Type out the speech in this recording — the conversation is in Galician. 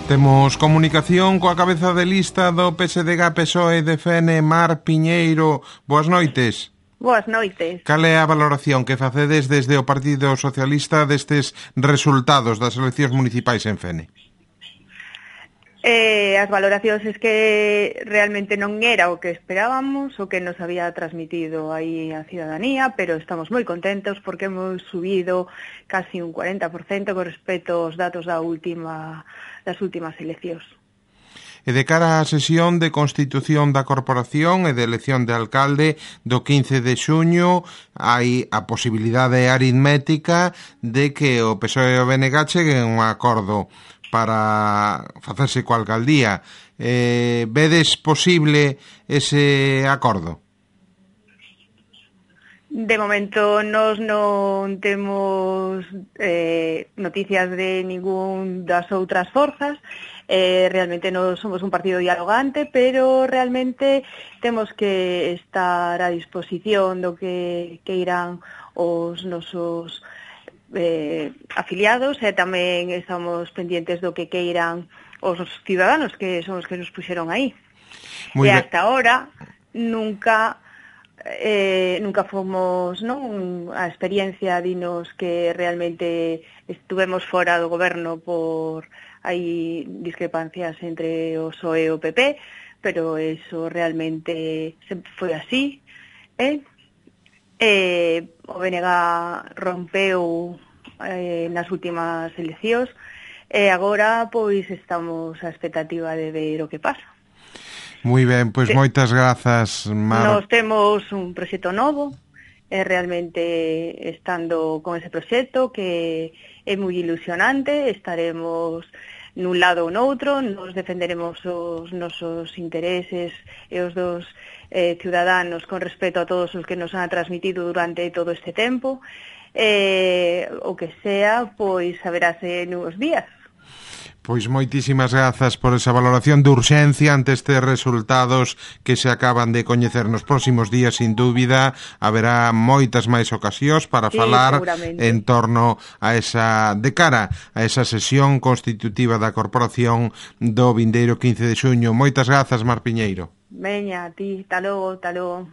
Temos comunicación coa cabeza de lista do PSDG-PSOE de FN, Mar Piñeiro. Boas noites. Boas noites. Cal é a valoración que facedes desde o Partido Socialista destes resultados das eleccións municipais en Fene? As valoracións es que realmente non era o que esperábamos, o que nos había transmitido aí a ciudadanía, pero estamos moi contentos porque hemos subido casi un 40% con respecto aos datos das últimas eleccións. E de cara á sesión de constitución da corporación e de elección de alcalde do 15 de xuño, hai a posibilidade aritmética de que o PSOE e o BNG cheguen a un acordo para facerse coa alcaldía. Vedes posible ese acordo? De momento nós non temos noticias de ningún das outras forzas. Realmente non somos un partido dialogante, pero realmente temos que estar a disposición do que irán os nosos afiliados, e tamén estamos pendientes do que queiran os ciudadanos, que son os que nos puxeron aí. E hasta ahora nunca fomos, non, a experiencia dinos que realmente estuvemos fora do goberno por hai discrepancias entre o PSOE e o PP, pero eso realmente foi así, o BNG rompeu nas últimas eleccións e agora pois estamos á expectativa de ver o que pasa. Moi ben, pois moitas grazas, Mar. Nos temos un proxecto novo e realmente estando con ese proxecto que é moi ilusionante, estaremos nun lado ou noutro, nos defenderemos os nosos intereses e os dos ciudadanos con respecto a todos os que nos han transmitido durante todo este tempo, o que sea, pois saberase nuns días. Pois moitísimas grazas por esa valoración de urxencia ante estes resultados que se acaban de coñecer nos próximos días. Sin dúbida, haberá moitas máis ocasións para falar en torno a de cara a esa sesión constitutiva da corporación do vindeiro 15 de xuño. Moitas grazas, Mar Piñeiro. Veña, a ti, ta logo.